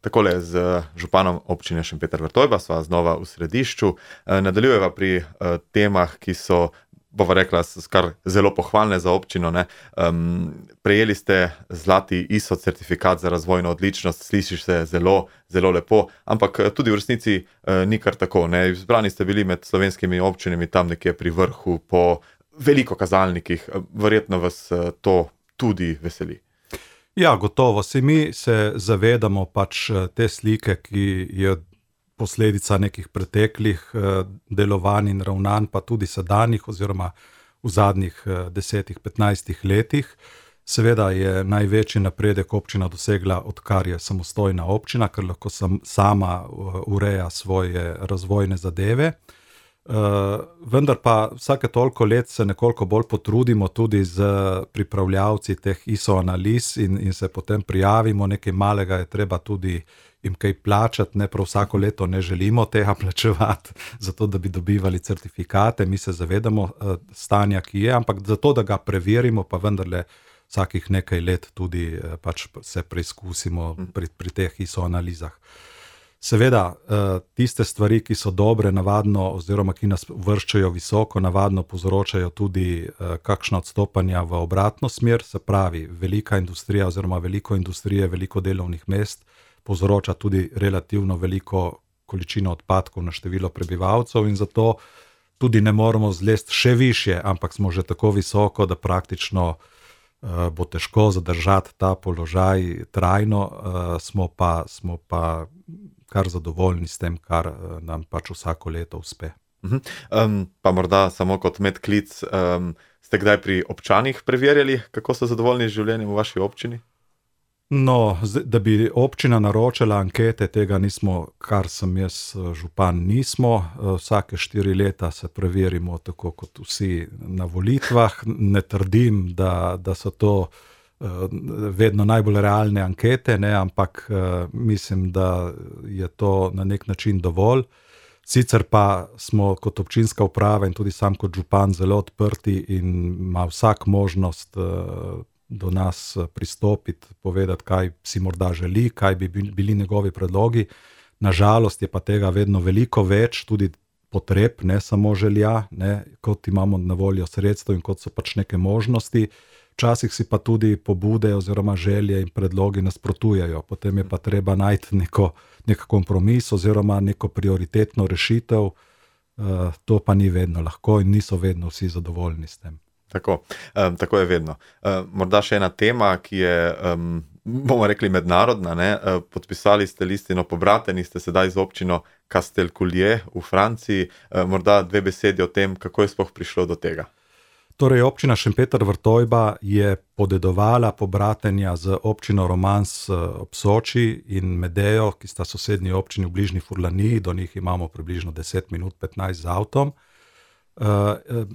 Takole z županom občine Šempeter Vrtojba sva znova v središču. Nadaljujeva pri temah, ki so, bova rekla, kar zelo pohvalne za občino, ne. Prejeli ste zlati ISO certifikat za razvojno odličnost, slišiš se zelo, zelo lepo, ampak tudi v resnici ni kar tako, ne. Izbrani ste bili med slovenskimi občinami tam nekje pri vrhu po veliko kazalnikih. Verjetno vas to tudi veseli. Ja, gotovo. Saj mi se zavedamo pač te slike, ki je posledica nekih preteklih delovanj in ravnanj, pa tudi sedanjih oziroma v zadnjih 10-15 letih. Seveda je največji napredek občina dosegla, odkar je samostojna občina, ker lahko sama ureja svoje razvojne zadeve. Vendar pa vsake toliko let se nekoliko bolj potrudimo tudi z pripravljavci teh ISO analiz in se potem prijavimo, nekaj malega je treba tudi jim kaj plačati, ne prav vsako leto ne želimo tega plačevati, zato da bi dobivali certifikate, mi se zavedamo stanja, ki je, ampak zato, da ga preverimo, pa vendarle vsakih nekaj let tudi pač se preizkusimo pri teh ISO analizah. Seveda, tiste stvari, ki so dobre, navadno, oziroma ki nas uvrščajo visoko, navadno povzročajo tudi kakšna odstopanja v obratno smer, se pravi, velika industrija oziroma veliko industrije, veliko delovnih mest povzroča tudi relativno veliko količino odpadkov na število prebivalcev in zato tudi ne moremo zlesti še višje, ampak smo že tako visoko, da praktično bo težko zadržati ta položaj trajno, smo pa kar zadovoljni s tem, kar nam pač vsako leto uspe. Pa morda samo kot medklic, ste kdaj pri občanih preverjali, kako so zadovoljni z življenjem v vaši občini? No, da bi občina naročala ankete, tega nismo, kar sem jaz župan, nismo. Vsake 4 leta se preverimo, tako kot vsi na volitvah. Ne trdim, da so to vedno najbolj realne ankete, ne, ampak mislim, da je to na nek način dovolj. Sicer pa smo kot občinska uprava in tudi sam kot župan zelo odprti in ima vsak možnost do nas pristopiti, povedati, kaj si morda želi, kaj bi bili njegovi predlogi. Nažalost je pa tega vedno veliko več, tudi potreb, ne samo želja, ne, kot imamo na voljo sredstev in kot so pač neke možnosti. Včasih si pa tudi pobude oziroma želje in predlogi nasprotujejo. Potem je pa treba najti nek kompromis oziroma neko prioritetno rešitev. To pa ni vedno lahko in niso vedno vsi zadovoljni s tem. Tako je vedno. Morda še ena tema, ki je, bomo rekli, mednarodna, ne? Podpisali ste listino pobrateni, ste sedaj z občino Castelculier v Franciji. Morda 2 besedi o tem, kako je sploh prišlo do tega. Torej, občina Šempeter Vrtojba je podedovala pobratenja z občino Romans ob Soči in Medejo, ki sta sosednji občini v bližnji Furlaniji, do njih imamo približno 10 minut, 15 z avtom.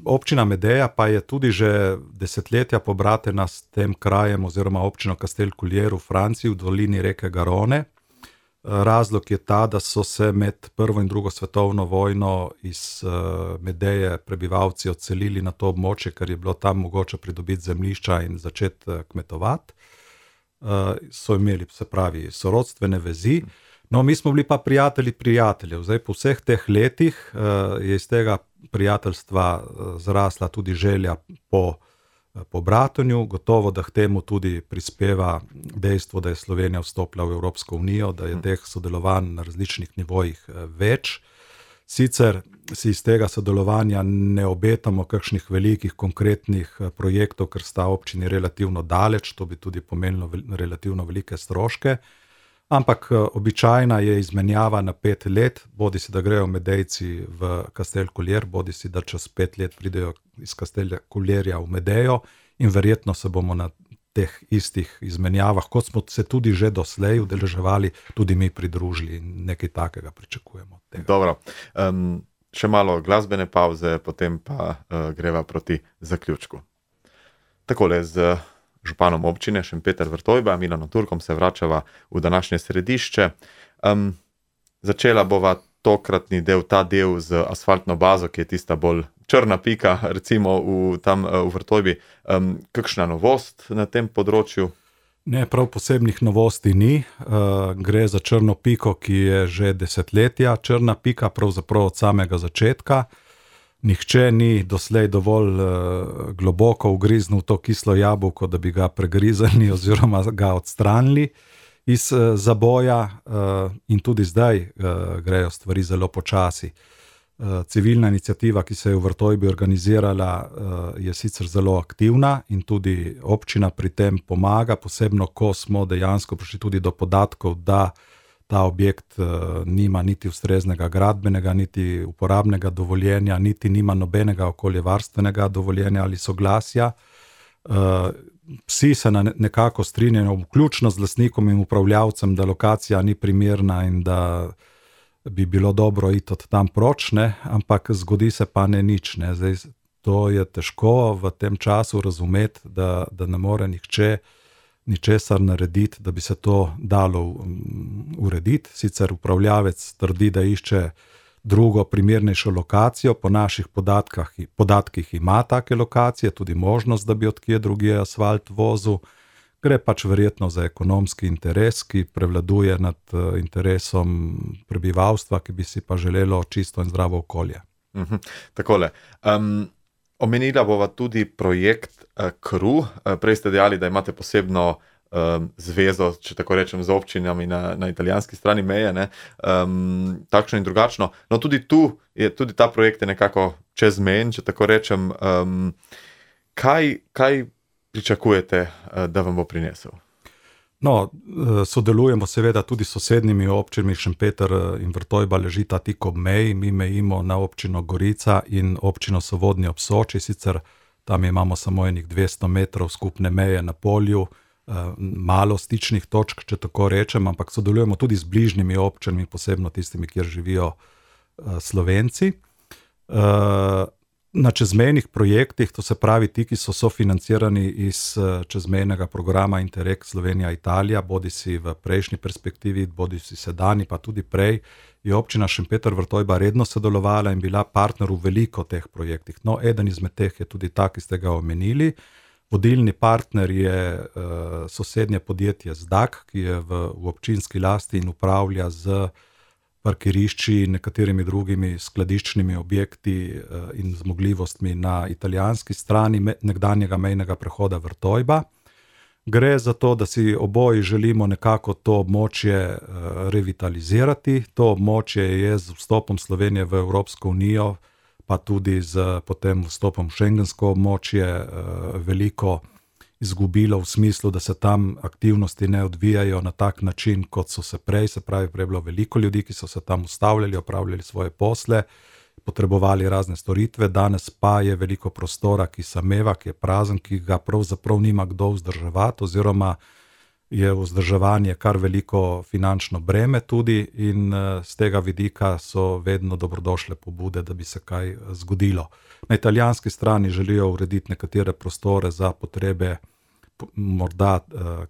Občina Medeja pa je tudi že desetletja pobratena s tem krajem oziroma občino Castelculier v Franciji v dolini reke Garonne. Razlog je ta, da so se med prvo in drugo svetovno vojno iz Medeje prebivalci odselili na to območje, ker je bilo tam mogoče pridobiti zemljišča in začeti kmetovati. So imeli, se pravi, sorodstvene vezi. No, mi smo bili pa prijatelji prijateljev. Zdaj, po vseh teh letih je iz tega prijateljstva zrasla tudi želja po bratenju. Gotovo, da k temu tudi prispeva dejstvo, da je Slovenija vstopila v Evropsko unijo, da je teh sodelovanj na različnih nivojih več. Sicer si iz tega sodelovanja ne obetamo kakšnih velikih konkretnih projektov, ker sta občini relativno daleč, to bi tudi pomenilo relativno velike stroške. Ampak običajna je izmenjava na 5 let, bodisi da grejo Medejci v Castelculier, bodisi da čez 5 let pridejo iz Castelculierja v Medejo in verjetno se bomo na teh istih izmenjavah, kot smo se tudi že doslej udeleževali, tudi mi pridružili in nekaj takega pričakujemo. Dobro, še malo glasbene pavze, potem pa greva proti zaključku. Takole z županom občine Šempeter Vrtojba, Milanom Turkom, se vračava v današnje središče. Začela bova tokratni del, ta del z asfaltno bazo, ki je tista bolj črna pika, recimo tam v Vrtojbi. Kakšna novost na tem področju? Ne, prav posebnih novosti ni. Gre za črno piko, ki je že desetletja črna pika, pravzaprav od samega začetka. Nihče ni doslej dovolj globoko ugriznil to kislo jabolko, da bi ga pregrizali oziroma ga odstranili iz zaboja, in tudi zdaj grejo stvari zelo počasi. Civilna iniciativa, ki se je v Vrtojbi organizirala, je sicer zelo aktivna in tudi občina pri tem pomaga, posebno ko smo dejansko prišli tudi do podatkov, da ta objekt nima niti ustreznega gradbenega, niti uporabnega dovoljenja, niti nima nobenega okoljevarstvenega dovoljenja ali soglasja. Vsi se nekako strinjajo, vključno z lastnikom in upravljavcem, da lokacija ni primerna in da bi bilo dobro iti od tam proč, ne? Ampak zgodi se pa ne nič. Ne? Zdaj, to je težko v tem času razumeti, da ne more nihče ničesar narediti, da bi se to dalo urediti. Sicer upravljavec trdi, da išče drugo primernejšo lokacijo, po naših podatkih ima take lokacije, tudi možnost, da bi od kje drugje asfalt vozil. Gre pač verjetno za ekonomski interes, ki prevladuje nad interesom prebivalstva, ki bi si pa želelo čisto in zdravo okolje. Takole. Omenila bova tudi projekt KRU. Prej ste dejali, da imate posebno zvezo, če tako rečem, z občinami na italijanski strani meje, ne? Takšno in drugačno. No, tudi tudi ta projekt je nekako čezmejen, če tako rečem. Kaj pričakujete, da vam bo prinesel? No, sodelujemo seveda tudi s sosednjimi občinami, Šempeter in Vrtojba ležita tik ob meji, mi mejimo na občino Gorica in občino Sovodnje ob Soči, sicer tam imamo samo enih 200 metrov skupne meje na polju, malo stičnih točk, če tako rečem, ampak sodelujemo tudi z bližnjimi občinami, posebno tistimi, kjer živijo Slovenci. Na čezmejnih projektih, to se pravi ti, ki so sofinancirani iz čezmejnega programa Interreg Slovenija-Italija, bodisi v prejšnji perspektivi, bodisi sedajni, pa tudi prej, je občina Šempeter Vrtojba redno sodelovala in bila partner v veliko teh projektih. No, eden izmed teh je tudi ta, ki ste ga omenili. Vodilni partner je sosednje podjetje Zdak, ki je v občinski lasti in upravlja z parkirišči in nekaterimi drugimi skladiščnimi objekti in zmogljivostmi na italijanski strani nekdanjega mejnega prehoda Vrtojba. Gre za to, da si oboji želimo nekako to območje revitalizirati. To območje je z vstopom Slovenije v Evropsko unijo, pa tudi z potem vstopom v šengensko območje veliko izgubilo v smislu, da se tam aktivnosti ne odvijajo na tak način, kot so se prej, se pravi, prej je bilo veliko ljudi, ki so se tam ustavljali, opravljali svoje posle, potrebovali razne storitve, danes pa je veliko prostora, ki sameva, ki je prazen, ki ga pravzaprav nima kdo vzdrževati, oziroma je vzdrževanje kar veliko finančno breme tudi in z tega vidika so vedno dobrodošle pobude, da bi se kaj zgodilo. Na italijanski strani želijo urediti nekatere prostore za potrebe morda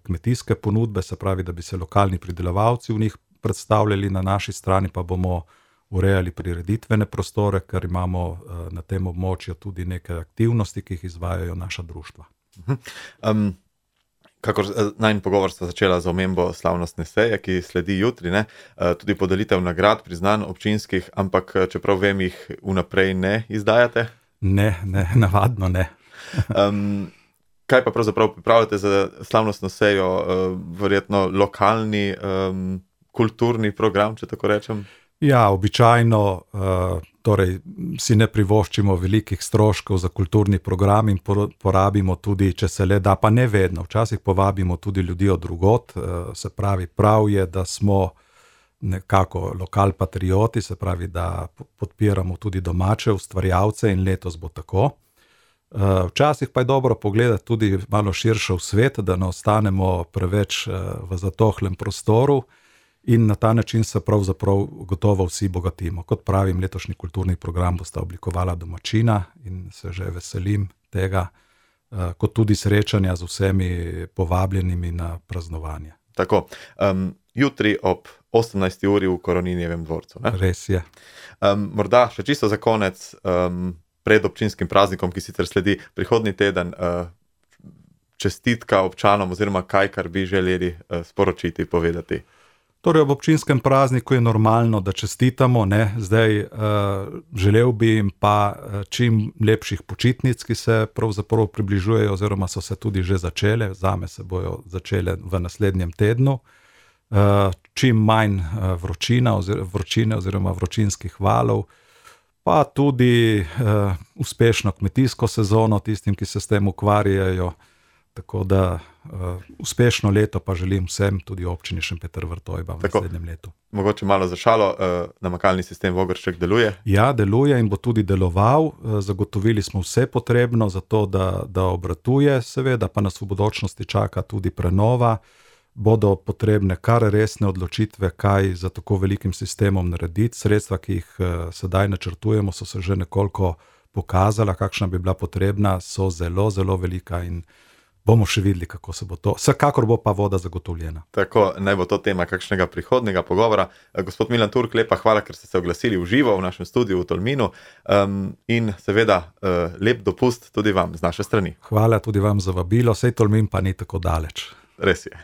kmetijske ponudbe, se pravi, da bi se lokalni pridelovalci v njih predstavljali, na naši strani pa bomo urejali prireditvene prostore, ker imamo na tem območju tudi neke aktivnosti, ki jih izvajajo naša društva. Kakor najin pogovor sta začela z omembo slavnostne seje, ki sledi jutri, ne? Tudi podelitev nagrad, priznanj občinskih, ampak čeprav vem, jih vnaprej ne izdajate? Ne, navadno ne. Kaj pa pravzaprav pripravljate za slavnostno sejo, verjetno lokalni kulturni program, če tako rečem? Ja, običajno torej si ne privoščimo velikih stroškov za kulturni program in porabimo tudi, če se le da, pa ne vedno, včasih povabimo tudi ljudi od drugod, se pravi, prav je, da smo nekako lokal patrioti, se pravi, da podpiramo tudi domače ustvarjalce in letos bo tako. Včasih pa je dobro pogledati tudi malo širše v svet, da ne ostanemo preveč v zatohlem prostoru in na ta način se pravzaprav gotovo vsi bogatimo. Kot pravim, letošnji kulturni program bosta oblikovala domačina in se že veselim tega, kot tudi srečanja z vsemi povabljenimi na praznovanje. Tako, jutri ob 18. uri v Koroninjevem dvorcu, ne? Res je. Morda še čisto za konec, pred občinskim praznikom, ki sicer sledi prihodnji teden, čestitka občanom oziroma kaj, kar bi želeli sporočiti, povedati? Torej, ob občinskem prazniku je normalno, da čestitamo, ne? Zdaj želel bi jim pa čim lepših počitnic, ki se pravzaprav približujejo oziroma so se tudi že začele, zame se bojo začele v naslednjem tednu. Čim manj vročine oziroma vročinskih valov, pa tudi uspešno kmetijsko sezono tistim, ki se s tem ukvarjajo. Tako da uspešno leto pa želim vsem, tudi občini Šempeter Vrtojba v naslednjem letu. Mogoče malo za šalo, namakalni sistem Vogršček deluje? Ja, deluje in bo tudi deloval. Zagotovili smo vse potrebno za to, da obratuje, seveda pa nas v bodočnosti čaka tudi prenova. Bodo potrebne kar resne odločitve, kaj za tako velikim sistemom narediti. Sredstva, ki jih sedaj načrtujemo, so se že nekoliko pokazala, kakšna bi bila potrebna, so zelo, zelo velika in bomo še videli, kako se bo to. Vsekakor bo pa voda zagotovljena. Tako, naj bo to tema kakšnega prihodnega pogovora. Gospod Milan Turk, lepa hvala, ker ste se oglasili v živo v našem studiu v Tolminu. In seveda lep dopust tudi vam z naše strani. Hvala tudi vam za vabilo, sej Tolmin pa ni tako daleč. Res je.